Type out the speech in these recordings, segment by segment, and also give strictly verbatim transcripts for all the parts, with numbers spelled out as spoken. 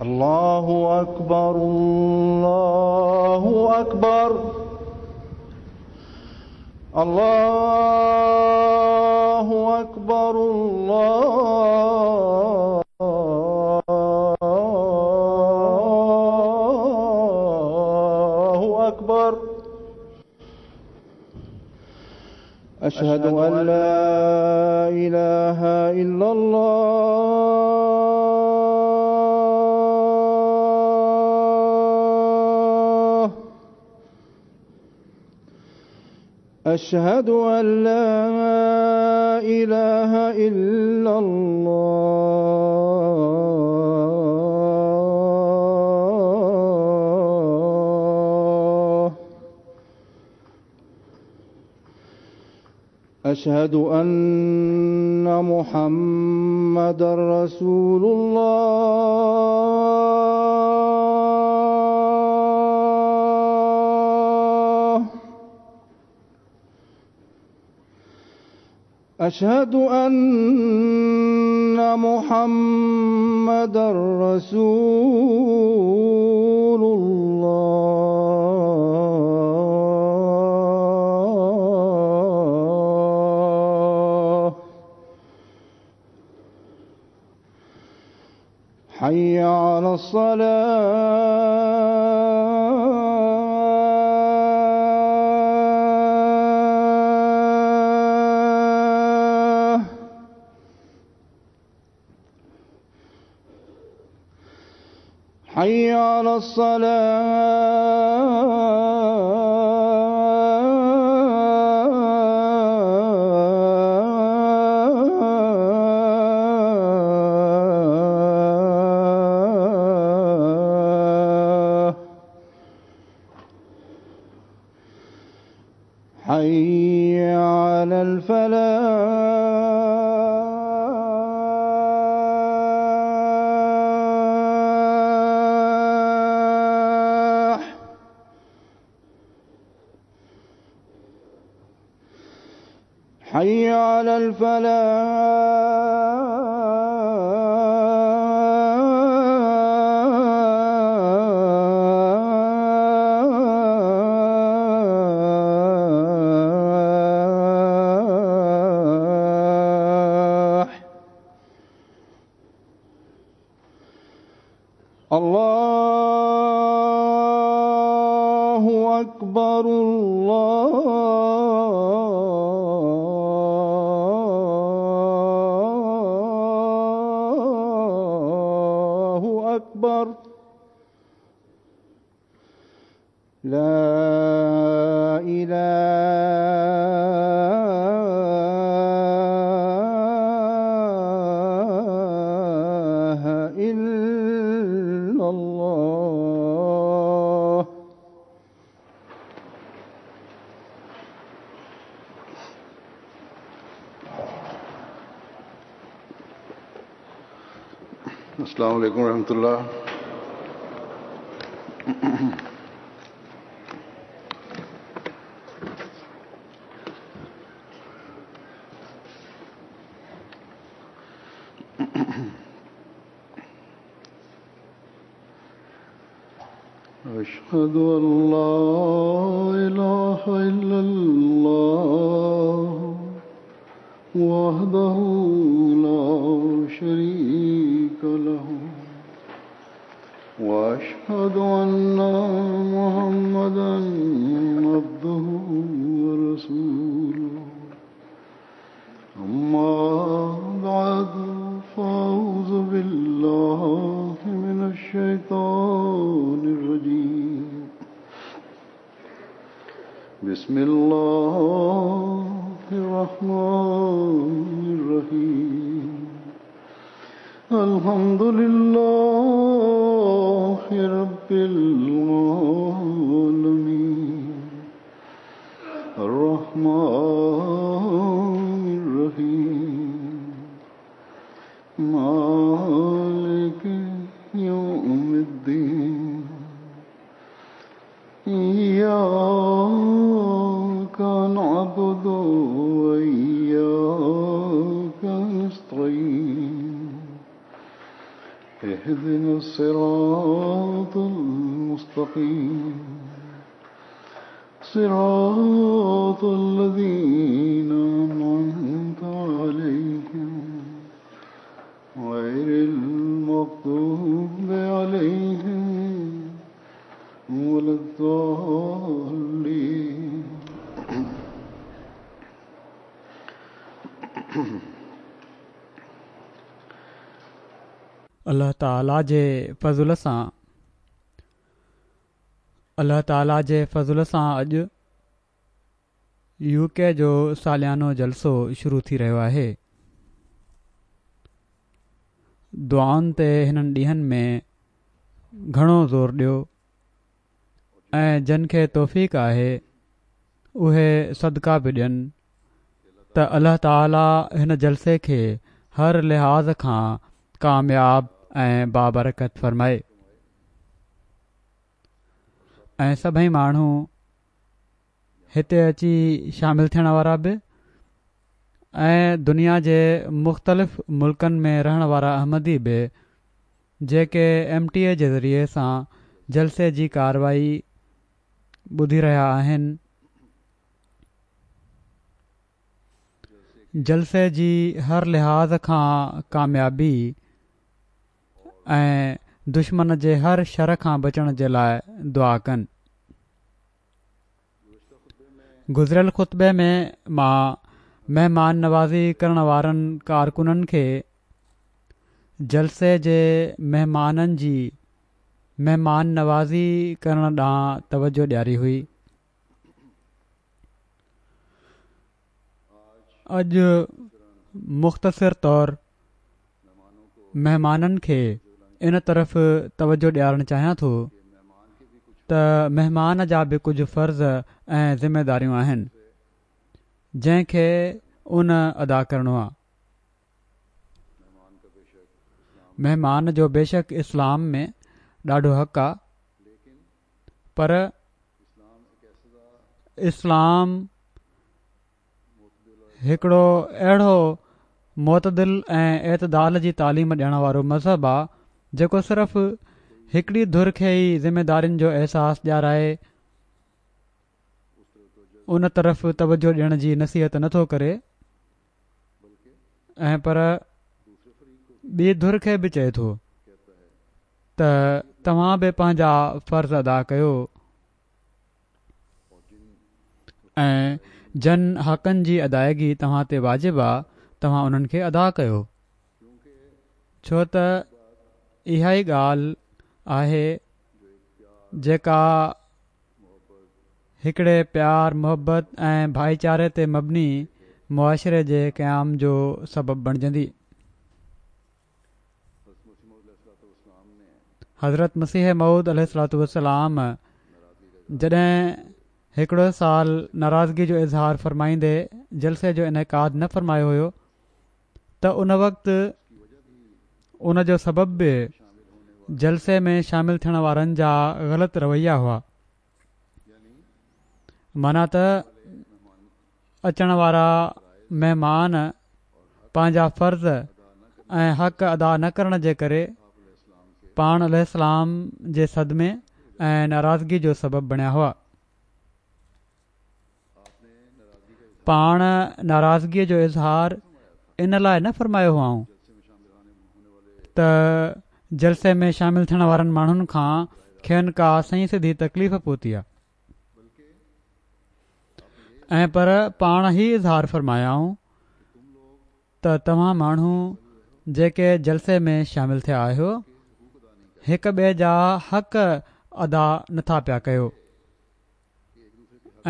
الله أكبر الله أكبر الله أكبر الله أكبر. أشهد أن لا إله إلا الله. أشهد أن لا إله إلا الله. أشهد أن محمدا رسول الله. أشهد أن محمدا رسول الله. حي على الصلاة. حي على الصلاة. حي على الفلاح. حي على الفلاح. الله أكبر الله أكبر. لا إله إلا الله. السلام علیکم ورحمۃ اللہ. أشهد أن لا إله إلا الله وحده لا شريك له وأشهد أن محمدا عبده ورسوله. أما بعد فأعوذ بالله من الشيطان الرجيم. بسم الله الرحمن الرحيم. الحمد لله رب العالمين الرحمن الرحيم مالك يوم الدين إياك نعبد وإياك نستعين اهدنا الصراط المستقيم صراط الذين أنعمت عليهم غير المغضوب عليهم ولا الضالين. الله تعاليٰ جي فضل سان الله تعاليٰ جي فضل سان اڄ يو ڪي جو ساليانو جلسو شروع ٿي رهيو آهي. دعائن تي هنن ڏينهن ۾ گهڻو زور ڏيو ۽ جن کي توفيق آهي اهي صدقا به ڏين ته الله تعاليٰ هن جلسي کي هر لحاظ کان ڪامياب ۽ بابرڪت فرمائي ۽ سڀئي ماڻهو هتي اچي شامل ٿيڻ وارا به ۽ دنيا جي مختلف ملڪن ۾ رهڻ وارا احمدي به جيڪي ايم ٽي اي جي ذريعي سان جلسي جي ڪارروائي ٻڌي رهيا آهن، جلسي جي هر لحاظ کان ڪاميابي ۽ دشمن جي هر شر کان بچڻ جي لاءِ دعا ڪن. گذريل خطبي ۾ مان مهمان نوازي ڪرڻ وارن ڪارڪنن کي جلسي جي مهمانن جي مهمان نوازي ڪرڻ ڏانهن توجه ڏياري هئي. اڄ مختصر طور مهمانن کي ان طرف توجه ڏيارڻ چاهيان ٿو ته مهمان جا به ڪجهه فرض ۽ ذميداريون آهن جنهن کي ان ادا ڪرڻو آهي. مهمان جو بيشڪ اسلام ۾ ڏاڍو حق آهي، پر اسلام هڪڙو اهڙو معتدل ۽ اعتدال جي تعليم ڏيڻ وارو مذهب آهي جيڪو صرف هڪڙي ڌر کي ئي ذميدارين جو احساس ڏيارائي ان طرف توجه ڏيڻ جي نصيحت نٿو ڪري ۽ پر ٻي ڌر کي به چئي ٿو ته توهان به پنهنجا فرض ادا ڪيو ۽ جن حقن جي ادائگي توهان تي واجب آهي توهان انهن کي ادا ڪيو، ڇو ته اها ئي ڳالهه آهي جيڪا هڪڙي پيار، محبت ۽ ڀائيچاري تي مبني معاشري جي قيام جو سبب بڻجندي. حضرت مسيح موعود عليه الصلوة والسلام جڏهن هڪڙو سال ناراضگي جو اظهار فرمائيندي جلسي جو انعقاد نه فرمايو هيو ته ان وقت ان جو سبب به جلسي ۾ شامل ٿيڻ وارن جا غلط رويا هئا. معنيٰ ته اچڻ وارا مهمان پنهنجا فرض ۽ حق ادا نه ڪرڻ جي ڪري پاڻ عليه السلام جي صدمي ۽ ناراضگي جو سبب بڻيا هئا. پاڻ ناراضگيءَ جو اظهار ان لاءِ نه فرمايو هئائون ته جلسي ۾ شامل ٿيڻ وارن ماڻهن کان کين ڪا سنئين سڌي تڪليف پهتي آهي ۽ پر پاڻ هي اظهار فرمايائون ته توهان ماڻهو جيڪي جلسي ۾ شامل ٿيا آهيو هڪ ٻئي جا حق ادا نٿا پيا ڪيو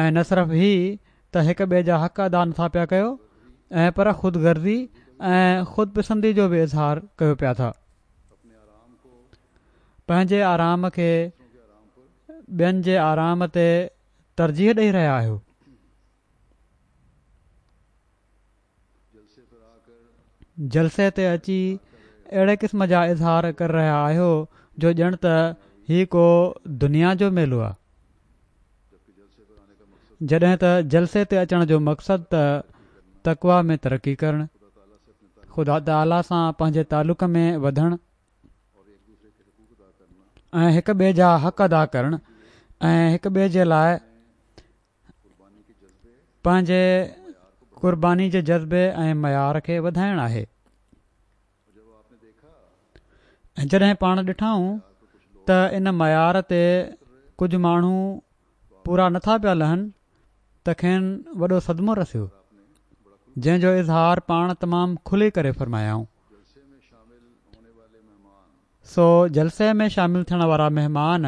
۽ نه صرف هي ته هڪ ٻئي جا حق ادا نٿا پيا ڪيو ۽ پر خود غرضي ۽ خود پسندي جو به اظهار ڪيو پيا ٿا. پنهنجي آرام کي ٻين جي آرام تي ترجيح ڏئي رهيا آهيو. جلسي تي اچي اهڙي قسم جا اظهار ڪري رهيا آهيو جو ڄڻ ته هي ڪو دنيا جو ميلو آهي، جڏهن ته جلسي تي اچڻ جو مقصد ته تقويٰ ۾ ترقي ڪرڻ، خدا تعاليٰ سان پنهنجي تعلق ۾ وڌڻ ۽ هڪ ٻئي جا حق ادا ڪرڻ ۽ هڪ ٻئي جي لاء پنهنجي قرباني جي جذبي ۽ معيار کي وڌائڻ آهي. ۽ جڏهن پاڻ ڏٺائون ته ان معيار تي ڪجهه ماڻهو پورا نٿا پيا لهن ته کين وڏو صدمو رسيو، جنهن جو اظهار پاڻ تمام کلي ڪري فرمايائون. سو جلسي ۾ شامل ٿيڻ وارا مهمان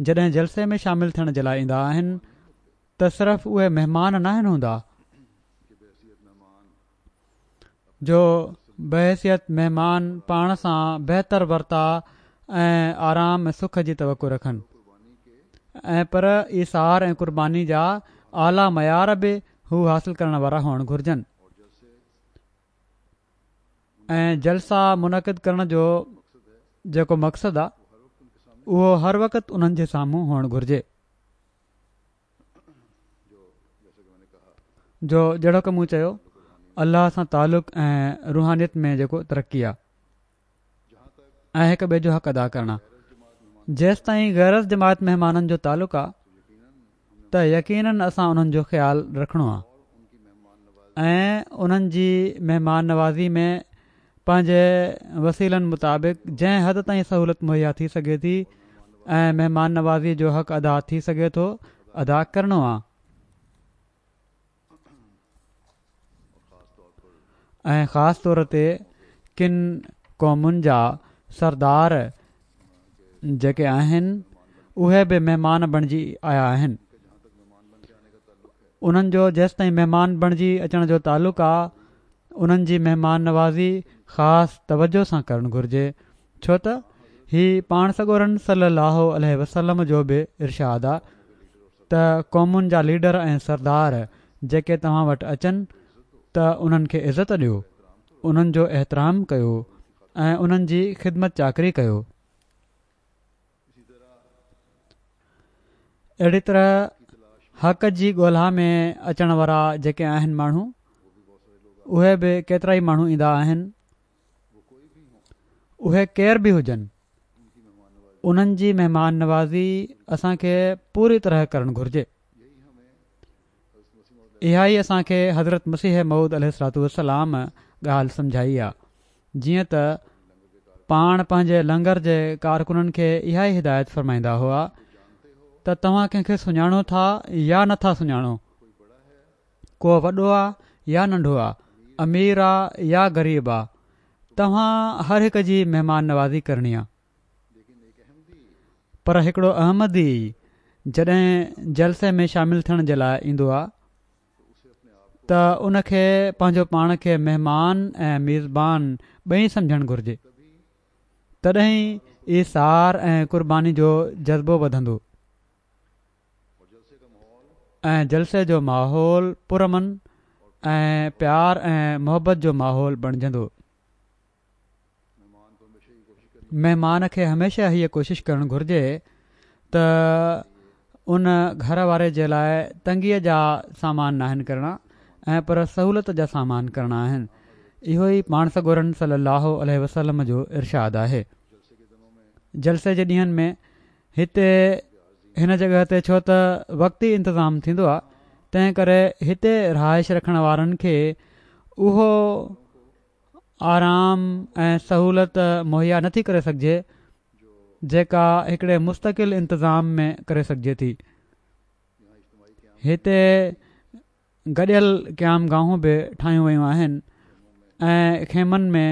جڏهن جلسي ۾ شامل ٿيڻ جي لاء ايندا آهن ته صرف اهي مهمان ناهن هوندا جو بحيثيت مهمان پاڻ سان بهتر ورتاء ۽ آرام ۽ سک جي توقع رکن ۽ پر ايثار ۽ قرباني جا اعليٰ معيار به هو حاصل ڪرڻ وارا هئڻ گهرجن ۽ جلسا منعقد ڪرڻ جو جيڪو مقصد آ اهو هر وقت انهن جي سامهون هئڻ گهرجي. جو جهڙوڪ مون چيو الله سان تعلق ۽ روحانيت ۾ جيڪو ترقي آ ۽ هڪ ٻئي جو حق ادا ڪرڻ آ. جيستائين غير از جماعت مهمانن جو تعلق آ ته يقينن اسان انهن جو خيال رکڻو آ ۽ انهن جي مهمان نوازي ۾ پنهنجي وسيلن مطابق جنهن حد تائين سهولت مهيا ٿي سگهي ٿي ۽ مهمان نوازي جو حق ادا ٿي سگهي ٿو ادا ڪرڻو آ. ۽ خاص طور تي ڪن قومن جا سردار جيڪي آهن اهي به مهمان بڻجي آيا آهن. انهن جو جيستائين مهمان بڻجي اچڻ جو تعلق آ انهن جي مهمان نوازي خاص توجه سان ڪرڻ گهرجي، ڇو ته هي پاڻ سڳورن صلي الله عليه وسلم جو به ارشاد آ ته قومن جا ليڊر ۽ سردار جيڪي توهان وٽ اچن ته انهن کي عزت ڏيو، انهن جو احترام ڪيو ۽ انهن جي خدمت چاڪري ڪيو. اهڙي طرح حق جي ڳولها ۾ اچڻ وارا جيڪي آهن ماڻهو اهي به ڪيترائي ماڻهو ايندا آهن، اهي ڪير به هجن انهن جي مهمان نوازي اسان کي پوري طرح ڪرڻ گهرجي. اها ئي اسان کي حضرت مسيح موعود عليه الصلوة والسلام ڳالهه سمجهائي آ، جيئن ته پاڻ پنهنجي لنگر جي ڪارڪنن کي اها ئي هدايت فرمائيندا هئا ته توهان ڪنهن کي سڃاڻو ٿا يا نه ٿا سڃاڻو، ڪو وڏو آ يا ننڍو آ، امير آ يا غريب آ، توهان هر هڪ جي مهمان نوازي ڪرڻي آ. پر هڪڙو احمدي جڏهن جلسي ۾ شامل ٿيڻ جي لاء ايندو آ ته ان کي پنهنجو پاڻ کي مهمان ۽ ميزبان ٻئي سمجهڻ گهرجي، تڏهن ئي ايثار ۽ قرباني جو جذبو وڌندو ۽ جلسي جو ماحول پرامن ۽ پيار ۽ محبت جو ماحول بڻجندو. مهمان کي هميشه هيء ڪوشش ڪرڻ گهرجي ته ان گهر واري جي لاء تنگيء جا سامان ناهن ڪرڻا ۽ پر سهولت جا سامان ڪرڻا آهن. اهو ئي پاڻ سڳورن صلي الله عليه وسلم جو ارشاد آهي. جلسي جي ڏينهن ۾ هتي هن جڳهه تي ڇو ته وقتي انتظام ٿيندو آهي، تنهن ڪري هتي رهائش رکڻ وارن کي اهو آرام ۽ سهولت مهيا نٿي ڪري سگهجي جيڪا هڪڙي مستقل انتظام ۾ ڪري سگهجي ٿي. هتي گڏيل قيام گاهون به ٺاهيون ويون آهن ۽ خيمن ۾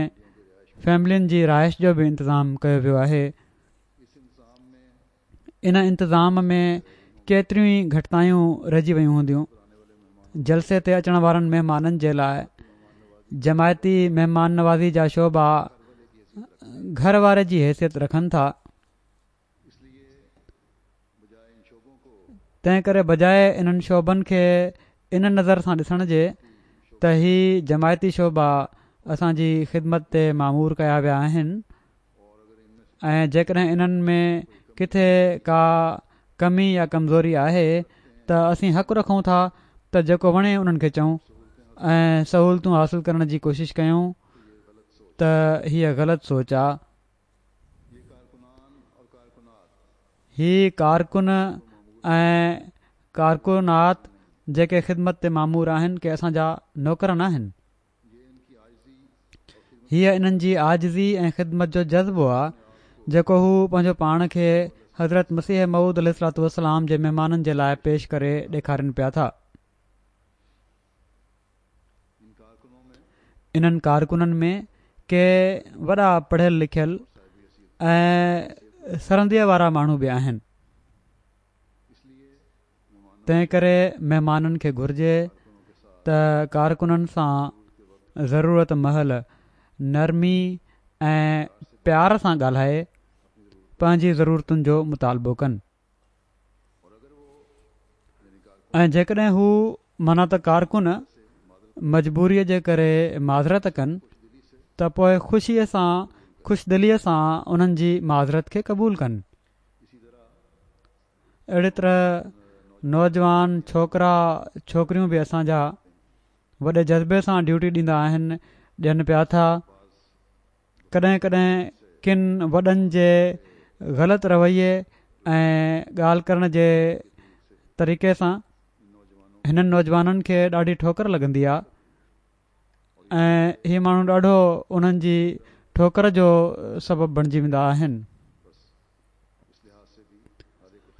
فيملين جي رهائش جو به انتظام ڪيو ويو آهي. ان انتظام ۾ ڪيتريون ئي گهٽتايون رهجي ويون هونديون. جلسي تي اچڻ وارن مهمانن جي لاء جماعتي مهمان نوازي جا شعبا گهر واري جي حيثيت رکن ٿا، تنهن ڪري بجاء انهن شعبن کي ان نظر سان ڏسڻ جي ته هي جماعتي شعبا اسان جي خدمت تي مامور ڪيا ويا آهن ۽ جيڪڏهن انهن ۾ ڪٿي ڪا ڪمي يا ڪمزوري آهي ته اسين حق رکون ٿا ته جيڪو وڻي انهن کي چئون ۽ سهولتون حاصل ڪرڻ جي ڪوشش ڪيون ته هيء غلط سوچ آ. هي ڪارڪن ۽ ڪارڪنات جيڪي خدمت تي مامور آهن ڪي اسان جا نوڪر ناهن. هيء انهن جي عاجزي ۽ خدمت جو جذبو آ جيڪو هو پنهنجو پاڻ کي حضرت مسيح موعود عليه الصلوة والسلام جي مهمانن جي لاء پيش ڪري ڏيکارين پيا ٿا. انهن ڪارڪنن ۾ ڪي وڏا پڙهيل لکيل ۽ سرنديء وارا ماڻهو به آهن. تنهن ڪري مهمانن کي گهرجي ته ڪارڪنن سان ضرورت مهل نرمي ۽ پيار سان ڳالهائي پنهنجي ضرورتن جو مطالبو ڪن ۽ جيڪڏهن هو معنيٰ ته ڪارڪن مجبوريء جي ڪري معذرت ڪن ته پوء خوشيء سان خوشدليء سان انهن جي معذرت کي قبول ڪن. اهڙي طرح نوجوان ڇوڪرا ڇوڪريون به اسان جا وڏي جذبي سان ڊيوٽي ڏيندا آهن ڏين پيا ٿا. ڪڏهن ڪڏهن ڪن وڏن جي غلط رويي ۽ ڳالهه ڪرڻ جي طريقي سان هنن نوجوانن کي ڏاڍي ٺوڪر لڳندي آ ۽ هي ماڻهو ڏاڍو انهن جي ٺوڪر جو سبب بڻجي ويندا آهن.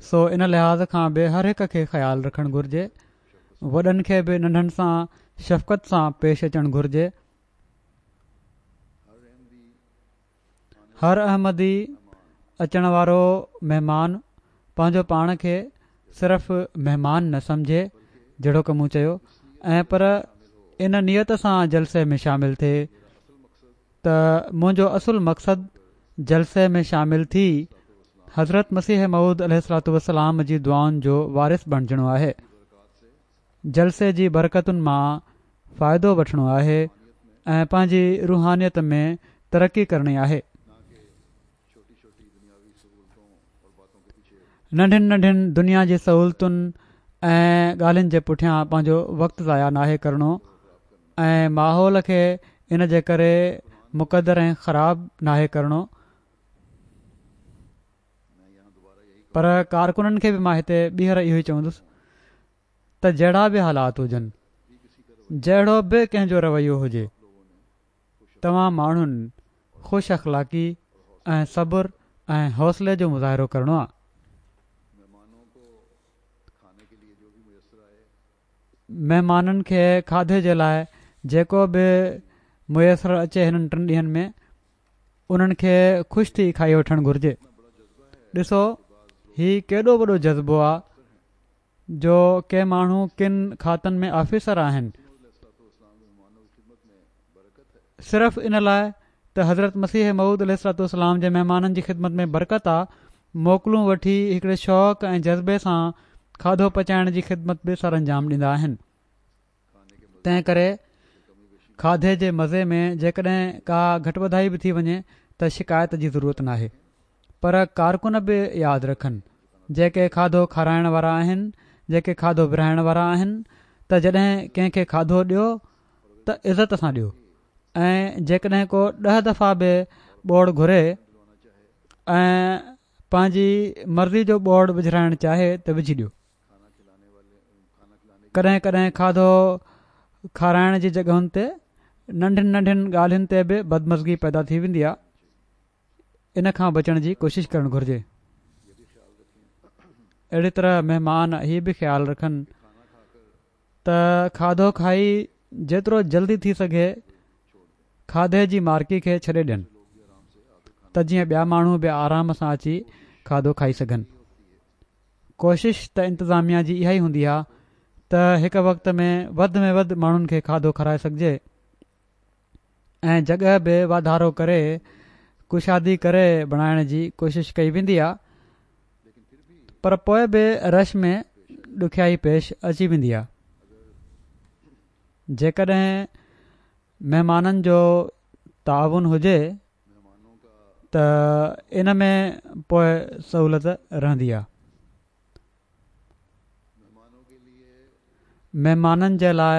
سو ان لحاظ کان به هر هڪ کي خيال رکڻ گهرجي. وڏن کي به ننڍن سان شفقت سان پيش اچڻ گهرجي. هر احمدي اچڻ وارو مهمان پنهنجو پاڻ کي صرف مهمان نه سمجهي جهڙوڪ مون چيو ۽ پر ان نيت سان جلسي ۾ شامل ٿئي ته منهنجو اصل مقصد جلسي ۾ شامل ٿي حضرت مسيح موعود عليه الصلوة والسلام جي دعائن جو وارث بڻجڻو آهي، جلسي جي برڪتن مان فائدو وٺڻو آهي ۽ پنهنجي روحانيت ۾ ترقي ڪرڻي آهي. ننڍين ننڍين دنيا جي سهولتن ۽ ڳالهين جي پٺيان پنهنجو وقت ضايع ناهي ڪرڻو ۽ ماحول کي ان جي ڪري مڪدر ۽ خراب ناهي ڪرڻو. پر ڪارڪنن کي به مان هتي ٻيهر اهو ئي چوندس ته جهڙا به حالات هجن، جهڙو به ڪنهن جو رويو هجي، توهان ماڻهن خوش اخلاقي ۽ صبر ۽ حوصلي جو مظاهرو ڪرڻو آ. مهمانن کي کاڌي جي لاء جيڪو به ميسر اچي هنن ٽن ڏينهن ۾ انهن کي خوش ٿي کائي وٺڻ گهرجي. ڏسو هي ڪيڏو وڏو جذبو آ جو ڪي ماڻهو ڪن کاتن ۾ آفيسر آهن صرف ان لاء ته حضرت مسيح موعود عليه الصلوة والسلام جي مهمانن جي خدمت ۾ برڪت آ موڪلون وٺي هڪڙي شوق ۽ جذبي سان کاڌو پچائڻ جي خدمت به سرانجام ڏيندا آهن. تنهن ڪري کاڌي جي مزي ۾ جيڪڏهن ڪا گهٽ وڌائي به ٿي وڃي ته شڪايت جي ضرورت ناهي. پر ڪارڪن به ياد رکن، جيڪي کاڌو کارائڻ وارا آهن، جيڪي کاڌو ورهائڻ وارا آهن ته جڏهن ڪنهن کي کاڌو ڏيو ته عزت سان ڏيو ۽ جيڪڏهن ڪو ڏهه دفعا به ٻوڙ گهري ۽ پنهنجي مرضي جو ٻوڙ وجهرائڻ چاهي ته وجهي ڏيو. ڪڏهن ڪڏهن کاڌو کارائڻ جي جڳهن تي ننڍين ننڍين ڳالهين تي به بدمزگي پيدا ٿي ويندي آهي، ان کان بچڻ جي ڪوشش ڪرڻ گهرجي. اهڙي طرح مهمان هي به خيال رکن ته کاڌو کائي جيترو جلدي ٿي سگهي کاڌي جي مارڪي کي ڇڏي ڏين ته جيئن ٻيا ماڻهو به آرام سان اچي کاڌو کائي سگهن. ڪوشش ته انتظاميا جي اها ئي هوندي آهي ته هڪ وقت ۾ وڌ ۾ وڌ ماڻهن کي کاڌو کارائي سگهجي ۽ جڳهه به واڌارو ڪري ڪشادي ڪري بڻائڻ جي ڪوشش ڪئي ويندي آهي پر پوء به رش ۾ ڏکيائي پيش اچي ويندي آهي. جيڪڏهن مهمانن جو تعاون هجي ته ان ۾ پوء سهولت رهندي آهي. مهمانن جي لاء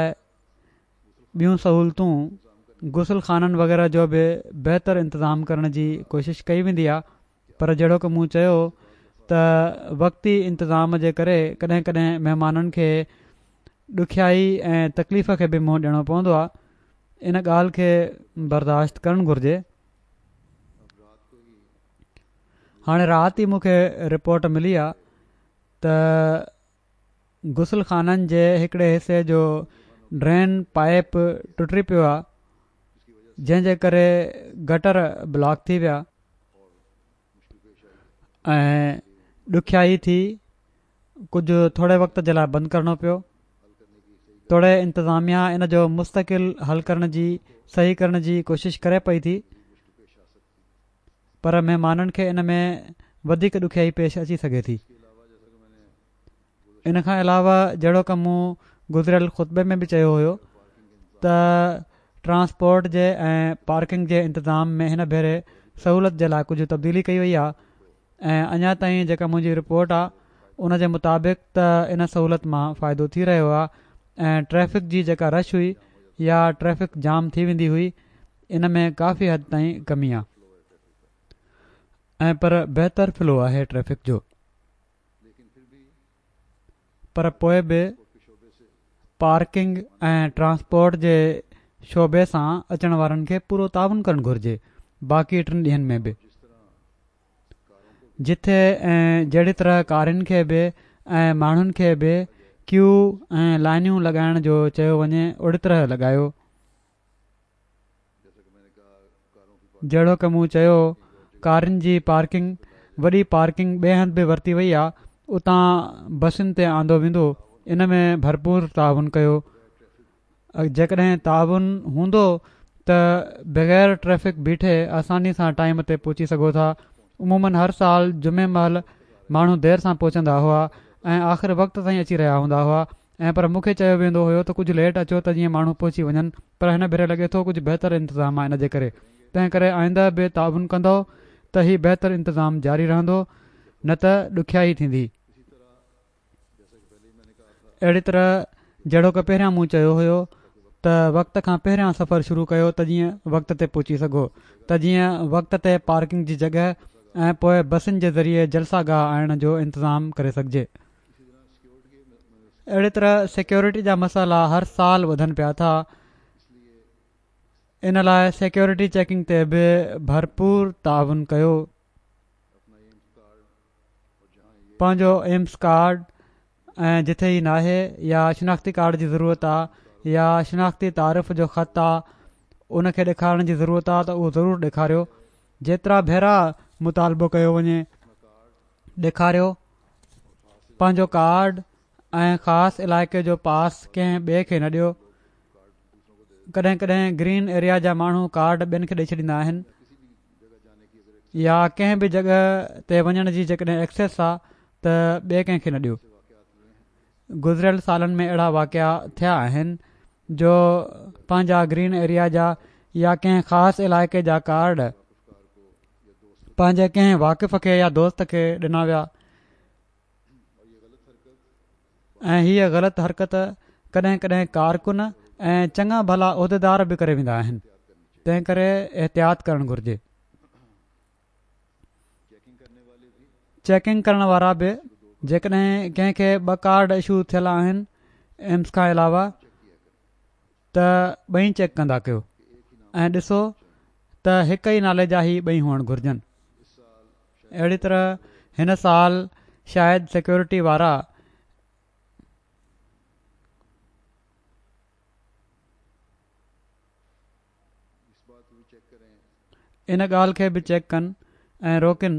ٻيون سهولتون غسل خانن وغيره جو به بهتر انتظام ڪرڻ جي ڪوشش ڪئي ويندي آهي پر جهڙوڪ مون چيو ته وقتي انتظام جي ڪري ڪڏهن ڪڏهن مهمانن کي ڏکيائي ۽ تڪليف کي به منهن ڏيڻو پوندو آهي. ان ڳالهه کي برداشت ڪرڻ گهرجي. هاڻي رات ئي مون کي رپورٽ ملي آهي ته غسل خانن جي هڪڙي حصي جو ڊرين پائپ ٽٽي پيو آهي، جنهن جي ڪري گٽر بلاڪ ٿي ويا ۽ ڏکيائي ٿي، ڪجهه ٿوري وقت جي لاء بند ڪرڻو پيو. توڙي انتظاميا ان جو مستقل حل ڪرڻ جي صحيح ڪرڻ جي ڪوشش ڪري پئي ٿي، پر مهمانن کي ان ۾ وڌيڪ ڏکيائي پيش اچي سگهي ٿي. ان کان علاوه جهڙوڪ مون گذريل خطبي ۾ به چيو هيو ته ٽرانسپورٽ جي ۽ پارڪنگ جي انتظام ۾ هن ڀيري سهولت جي لاء ڪجهه تبديلي ڪئي وئي آهي ۽ اڃا تائين جيڪا منهنجي رپورٽ آهي ان جي مطابق ته ان سهولت مان فائدو ٿي رهيو آهي ۽ ٽريفڪ جي جيڪا رش هئي يا ٽريفڪ جام ٿي ويندي هئي ان ۾ ڪافي حد تائين ڪمي آهي ۽ پر بهتر فلو آهي ٽريفڪ جو. پر پوء به پارڪنگ ۽ ٽرانسپورٽ جي شعبي سان اچڻ وارن کي پورو تعاون ڪرڻ گهرجي باقي ٽن ڏينهن ۾ به جٿي ۽ جهڙي طرح ڪارين کي به ۽ ماڻهن کي به ڪيو ۽ لائنيون لڳائڻ جو چيو وڃي اوڙي طرح لڳايو. جهڙوڪ مون چيو ڪارين جي پارڪنگ وڏي پارڪنگ ٻئي هنڌ به ورتي وئي آ اتان بسن تي آندو ويندو ان ۾ ڀرپور تعاون ڪيو. جيڪڏهن تعاون هوندو ته بغير ٽريفڪ بيٺي آساني سان ٽائيم تي پهچي سگهو ٿا. عموماً هر سال جمعي مهل ماڻهو دير سان پهچندا هئا ۽ آخر وقت تائين اچي رهيا هوندا هئا ۽ پر مون کي چيو ويندو هيو ته ڪجهه ليٽ اچو ته جيئن ماڻهو پهچي وڃن، پر هن ڀيري لڳي ٿو ڪجهه بهتر انتظام آهي ان جي ڪري، تنهن ڪري آئنده به تعاون ڪندؤ ته هي بهتر انتظام جاري رهندو نه ته ڏکيائي ٿيندي. اهڙي طرح جهڙوڪ پهريان مون چيو هيو ته وقت کان پهريان سفر شروع ڪيو ته جيئن وقت تي پهچي سگهو ته جيئن وقت تي پارڪنگ جي جڳهه ۽ پوء بسن جي ذريعي جلسه گاهه آڻڻ جو انتظام ڪري سگهجي. اهڙي طرح سيڪيورٽي جا مسئلا هر سال وڌن پيا ٿا، ان لاء سيڪيورٽي چيڪنگ تي به ڀرپور تعاون ڪيو. پنهنجو ايمس ڪارڊ ۽ جٿي هي ناهي يا شناختي ڪارڊ جي ضرورت آ يا شناختي تعارف جو خط آ ان کي ڏيکارڻ جي ضرورت آ ته اهو ضرور ڏيکاريو. جيترا ڀيرا مطالبو ڪيو وڃي ڏيکاريو. پنهنجو ڪارڊ ۽ خاص علائقي جو پاس ڪنهن ٻئي کي نه ڏيو. ڪڏهن ڪڏهن گرين ايريا جا ماڻهو ڪارڊ ٻين کي ڏئي ڇڏيندا آهن يا ڪنهن به جڳهه تي وڃڻ جي جيڪڏهن ايڪسيس آ ته ٻئي ڪنهن کي نه ڏيو. گذريل سالن ۾ اهڙا واقعا ٿيا آهن جو پنهنجا گرين ايريا جا يا ڪنهن خاص علائقي جا ڪارڊ پنهنجي ڪنهن واقف کي يا دوست کي ڏنا ويا ۽ هيء غلط حرڪت ڪڏهن ڪڏهن ڪارڪن ۽ چڱا ڀلا عهديدار به ڪري ويندا آهن، تنهن ڪري احتياط ڪرڻ گهرجي. چيڪنگ ڪرڻ وارا به جيڪڏهن ڪنهن کي ٻه ڪارڊ اشو ٿيل آهن ايمس کان علاوه ته ٻئي چيڪ ڪندا ڪيو ۽ ڏسو ته هڪ ئي نالي جا هي ٻئي هئڻ گهرجن. اهڙي طرح هن سال شايد سيڪيورٽي وارا ان ڳالهه کي به چيڪ ڪن ۽ روڪن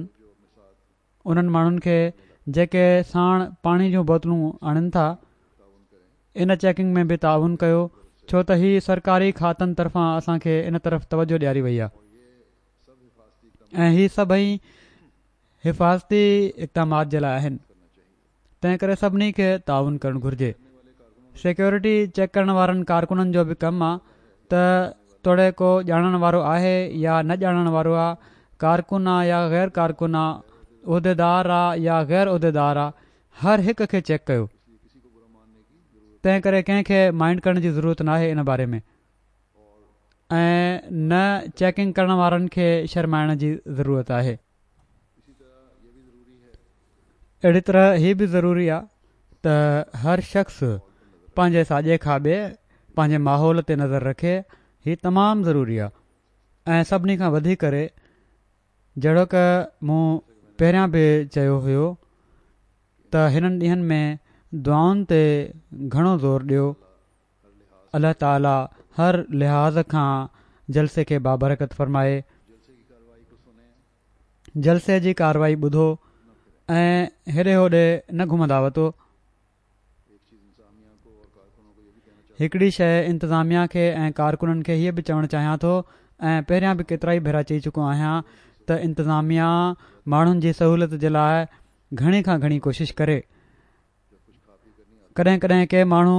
انهن ماڻهن کي جيڪي ساڻ پاڻي جون بوتلون آڻين ٿا. ان چيڪنگ ۾ به تعاون ڪيو ڇو ته هي سرڪاري کاتن طرفان اسان کي ان طرف توجه ڏياري وئي آهي ۽ هي سڀئي حفاظتي اقدامات جي لاء آهن، تنهن ڪري سڀني کي تعاون ڪرڻ گهرجي. سيڪيورٽي چيڪ ڪرڻ وارن ڪارڪنن جو به ڪم آ ته توڙي ڪو ڄاڻڻ وارو آهي يا نه ڄاڻڻ وارو آ، ڪارڪن آ يا غير ڪارڪن آ، عهديدار آ يا غير عهديدار آ، هر هڪ کي چيڪ ڪيو. تنهن ڪري ڪنهن کي مائنڊ ڪرڻ جي ضرورت ناهي ان باري ۾ ۽ نه چيڪنگ ڪرڻ وارن کي شرمائڻ جي ضرورت آهي. اهڙي طرح هي به ضروري آ ته هر شخص پنهنجي ساڄي کاٻي پنهنجي ماحول تي نظر رکي. هي تمام ضروري آ ۽ سڀني کان وڌي ڪري جهڙوڪ مون پهريان به چيو هيو ته هنن ڏينهن ۾ دعائن تي گهڻو زور ڏيو. الله تعالي هر لحاظ کان جلسي کي بابرڪت فرمائي. جلسي جي ڪارروائي ٻڌو ۽ هيڏي هوڏي نه گهمندا وتو. هڪڙي شيء انتظاميا کي ۽ ڪارڪنن کي هيء به چوڻ چاهيان ٿو ۽ پهريان به ڪيترائي ڀيرا چئي چڪو آهيان ته انتظاميا ماڻهن جي سهولت جي لاء گهڻي کان گهڻي ڪوشش ڪري. ڪڏهن ڪڏهن ڪي ماڻهو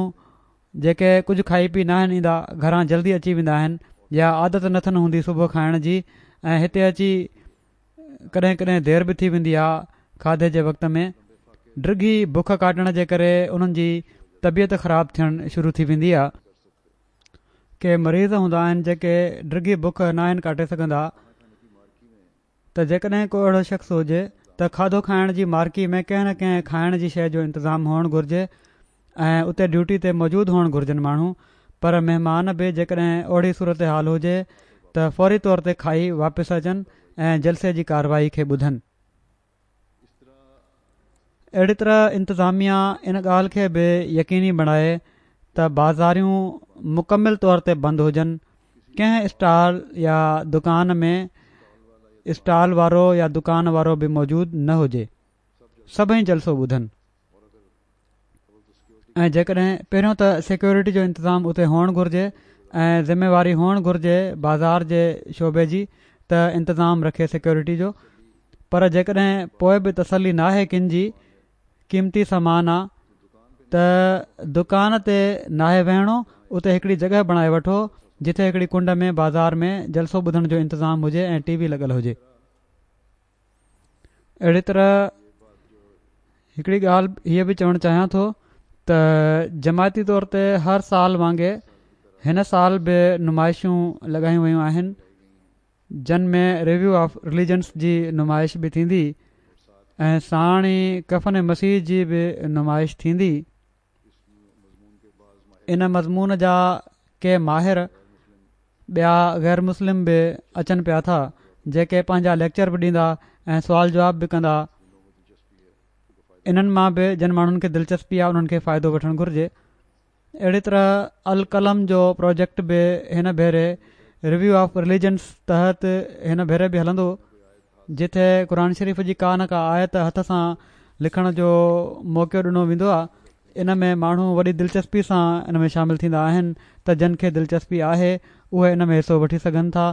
جيڪي ڪجهه کائي پي ناهن ايندا گهران جلدي اچي ويندا آهن يا عادت نٿن هوندي صبح کائڻ جي ۽ هتي اچي ڪڏهن ڪڏهن دير به ٿي ويندي آهي کاڌي جي وقت ۾ ڊگهي بک ڪاٽڻ جي ڪري انهن جي طبيعت خراب ٿيڻ شروع ٿي ويندي آهي. ڪي مريض هوندا آهن جيڪي ڊگهي بک ناهن ڪاٽي سگهندا ته جيڪڏهن ڪو اهڙو شخص هجي ته کاڌو کائڻ جي مارڪي ۾ ڪنهن نه ڪنهن کائڻ جي شيء جو انتظام هئڻ گهرجي ۽ اتي ڊيوٽي تي موجود هئڻ گهرجن ماڻهو. پر مهمان به جيڪڏهن اهڙي صورتحال هجي ته فوري طور تي کائي واپس اچن ۽ جلسي جي ڪارروائي کي ٻڌن. اهڙي طرح انتظاميا ان ڳالهه کي به يقيني بڻائي ته بازاريون مڪمل طور تي بند هجن. ڪنهن اسٽال يا دڪان ۾ اسٽال وارو يا دڪان وارو به موجود نه هجي. سڀئي جلسو ٻڌن ۽ جيڪڏهن پهريون ته سيڪيورٽي جو انتظام اتي هئڻ گهرجي ۽ ذميواري هئڻ گهرجي بازار جي شعبي جي ته انتظام رکي سيڪيورٽي جو. پر جيڪڏهن پوءِ به تسلي ناهي ڪن جي قيمتي سامان آ ته دڪان تي ناهي ويهڻو، اتي هڪڙي جڳهه بڻائي وٺو جتي هڪڙي ڪنڊ ۾ بازار ۾ جلسو ٻڌڻ جو انتظام هجي ۽ ٽي وي لڳل هجي. اهڙي طرح هڪڙي ڳالهه هيءَ به چوڻ چاهيان ٿو ته جماعتي طور تي هر سال وانگي هن سال به نمائشون لڳايون ويون آهن جن ۾ ريويو آف رليجنس جي نمائش به ٿيندي ۽ ساڻ ئي ڪفن مسيح جي به نمائش ٿيندي. ان مضمون جا ڪي ماهر ٻيا غير مسلم به اچن پيا ٿا جيڪي پنهنجا ليڪچر به ڏيندا ۽ سوال جواب به ڪندا. انهن مان به جن ماڻهن کي دلچسپي آهي انهن کي فائدو وٺڻ گهرجي. اهڙي طرح القلم جو پروجيڪٽ به هن ڀيري ريويو آف رليجنس تحت هن ڀيري به هلندو جتي قرآن شريف جي ڪا نه ڪا آيت هٿ سان لکڻ جو موقعو ڏنو ويندو آهي. ان ۾ ماڻهو وڏي دلچسپي سان ان ۾ شامل ٿيندا آهن ته جن کي دلچسپي آهي اهي ان ۾ حصو وٺي سگهن ٿا.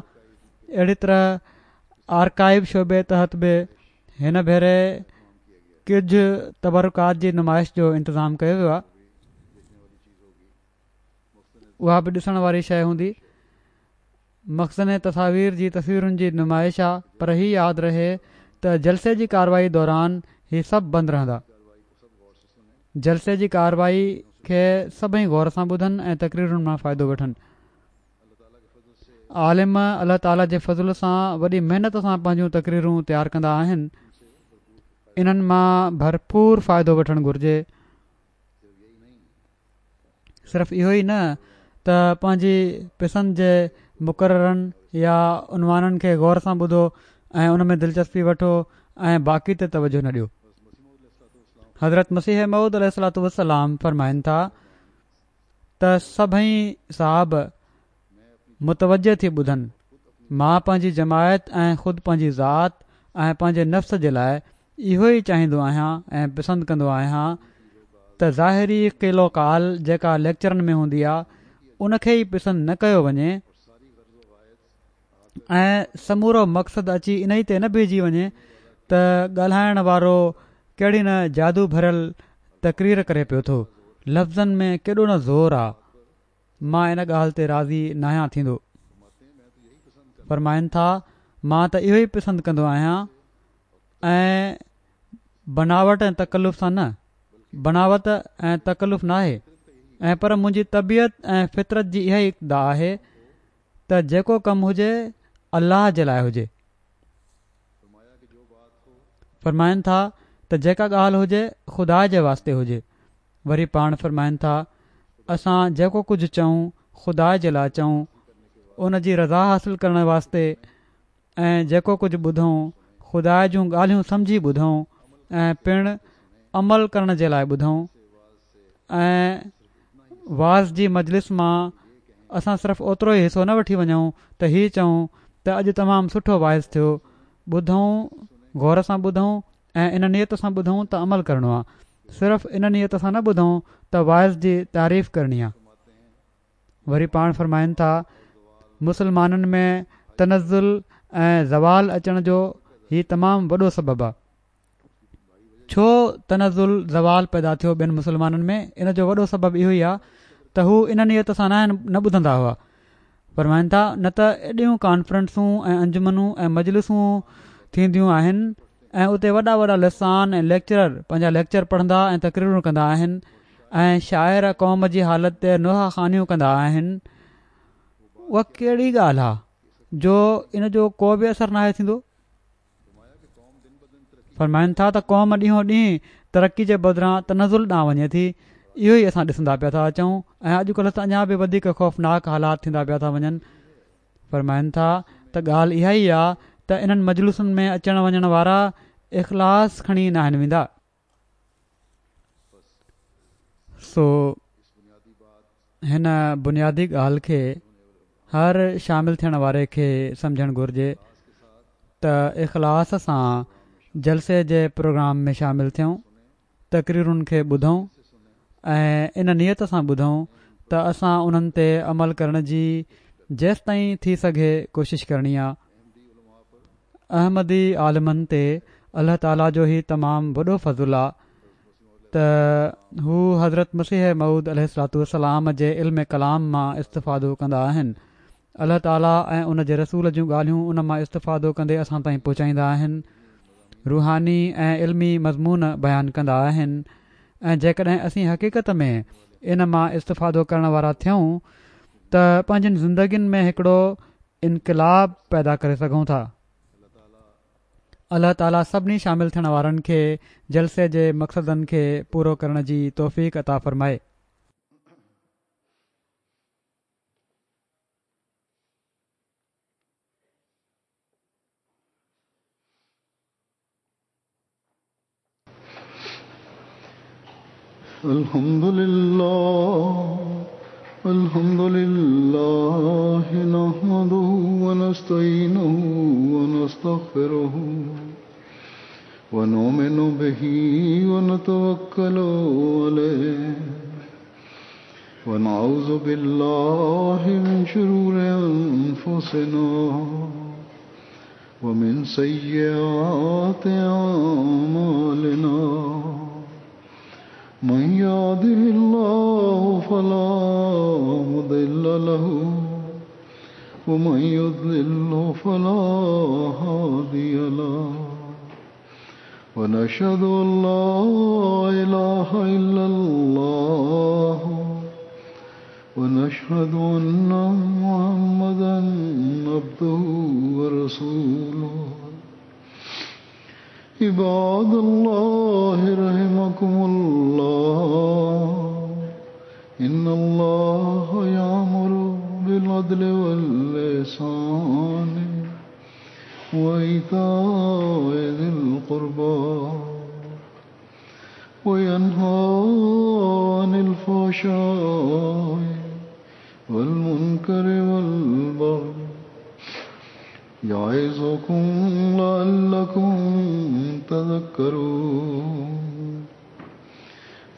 اهڙي طرح آرڪائيو شعبي تحت به هن ڀيري ڪجهه تبرڪات جي نمائش جو انتظام ڪيو ويو آهي. اها به ڏسڻ واري شيءِ هوندي. مخزن تصاوير جي تصويرن جي نمائش آ، پر هي ياد رهي ته جلسي جي ڪارروائي دوران هي سڀ بند رهندا. جلسي جي ڪارروائي کي سڀئي غور سان ٻڌن ۽ تقريرن مان فائدو وٺن. عالم الله تعاليٰ جي فضل سان وڏي محنت سان پنهنجون تقريرون تيار ڪندا آهن. انهن مان ڀرپور فائدو وٺڻ گهرجي. صرف اهو ئي نه ته پنهنجي پسند جي مقررن يا عنوانن کي غور سان ٻڌو ۽ ان ۾ دلچسپي وٺو ۽ باقي تي توجه نه ڏيو. حضرت مسيح موعود عليه الصلوة والسلام فرمائن ٿا ته سڀئي صحاب متوجه ٿي ٻڌن. مان پنهنجي جماعت ۽ خود پنهنجي ذات ۽ پنهنجي نفس جي لاءِ اهو ئي چاهيندو آهيان ۽ پسند ڪندو آهيان ته ظاهري قيل و قال جيڪا ليڪچرن ۾ هوندي آهي ان کي ئي پسند نه ڪيو وڃي ۽ سمورو مقصد اچي انهي تي نه بيهجي وڃي ته ڳالهائڻ وارو ڪهڙي نه جادو ڀريل تقرير ڪري پيو ٿو، لفظن ۾ ڪيڏو نه زور آ، مان ان ڳالهه تي راضي ناهيان ٿيندو. فرمائن ٿا مان ته اهو ئي پسند ڪندو آهيان ۽ بناوٽ ۽ تڪلف سان نه، بناوت ۽ تڪلف ناهي ۽ پر منهنجي طبيعت ۽ فطرت جي اها ئي اقتضا آهي ته جيڪو ڪم هجي الله جي لاءِ هجي. فرمائن ٿا ته جيڪا ڳالهه هجي خدا جي واسطي هجي. وري پاڻ فرمائن ٿا اسان جيڪو ڪجهه چئون خدا جي لاء چئون، ان جي رضا حاصل ڪرڻ واسطي، ۽ جيڪو ڪجهه ٻڌون خدا جون ڳالهيون سمجهي ٻڌون ۽ پڻ عمل ڪرڻ جي لاءِ ٻڌون. ۽ واعظ جي مجلس مان اسان صرف اوترو ئي حصو نه وٺي وڃون ته هي چئون ته اڄ تمام سٺو واعظ ٿيو، ٻڌون غور سان ٻڌون ۽ ان نيت سان ٻڌون ته عمل ڪرڻو آهي، صرف ان نيت سان نه ٻڌون ته واعظ جي تعريف ڪرڻي آهي. وري پاڻ فرمائن ٿا مسلمانن ۾ تنزل ۽ زوال اچڻ جو هي تمام وڏو سبب آهي. ڇو تنزل زوال پيدا ٿيو ٻين مسلمانن ۾ ان جو وڏو سبب اهو ئي آهي ته هو ان نيت سان نه ٻڌندا هئا. فرمائن ٿا نه ته ايڏيون ڪانفرنسون ۽ انجمنون ۽ مجلسون ٿينديون آهن ۽ اتي وڏا وڏا لسان ۽ ليڪچرر پنهنجا ليڪچر پڙهندا ۽ تقريرون ڪندا آهن ۽ شاعر قوم جي حالت تي نوحه خوانيون ڪندا آهن. اها ڪهڙي ڳالهه آهي جو ان جو ڪو به اثر ناهي ٿيندو؟ فرمائن ٿا ته قوم ڏينهون ڏينهن ترقي جي بدران تنزل ڏانهن وڃي ٿي. اهو ئي اسان ڏسندا پيا ٿا اچون ۽ اڄڪلهه ته اڃا به وڌيڪ خوفناڪ حالات ٿيندا پيا ٿا وڃن. فرمائن ٿا ته ڳالهه اها ئي آهي ته انهن مجلسن ۾ اچڻ وڃڻ وارا اخلاص کڻي ناهن ويندا. سو هن بنيادي ڳالهه کي هر شامل ٿيڻ واري کي سمجهڻ گهرجي ته اخلاص سان جلسي جي پروگرام ۾ شامل ٿيون، تقريرن کي ٻڌون ۽ ان نيت سان ٻڌون ته اسان انهن تي عمل ڪرڻ جي جيستائين ٿي سگهي ڪوشش ڪرڻي آهي. احمدي عالمن تي الله تعاليٰ جو هي تمام وڏو فضل آهي ته هو حضرت مسيح موعود عليه الصلوة والسلام جي علم ڪلام مان استفادو ڪندا آهن. الله تعاليٰ ۽ ان جي رسول جون ڳالهيون ان مان استفادو ڪندي اسان تائين پهچائيندا آهن، روحاني ۽ علمي مضمون بيان ڪندا آهن ۽ جيڪڏهن اسين حقيقت ۾ ان مان استفادو ڪرڻ وارا ٿيون ته پنهنجين زندگين ۾ هڪڙو انقلاب پيدا ڪري سگهون ٿا. الله تعاليٰ سڀني شامل ٿيڻ وارن کي جلسي جي مقصدن کي پورو ڪرڻ جي توفيق عطا فرمائي. الحمد لله الحمد لله نحمده ونستعينه ونستغفره ونؤمن به ونتوكل عليه ونعوذ بالله من شرور أنفسنا ومن سيئات أعمالنا من يهده الله فلا مضل له ومن يضلل فلا هادي له ونشهد أن لا إله إلا الله ونشهد أن محمدا عبده ورسوله. عباد الله رحمكم الله، إن الله يأمر بالعدل والإحسان وإيتاء ذي القربى وينهى عن الفحشاء والمنكر والبغي يعظكم لعلكم تذكرون.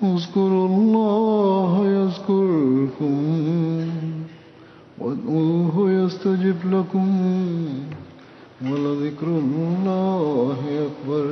اذكروا الله يذكركم وادعوه يستجب لكم ولذكر الله أكبر.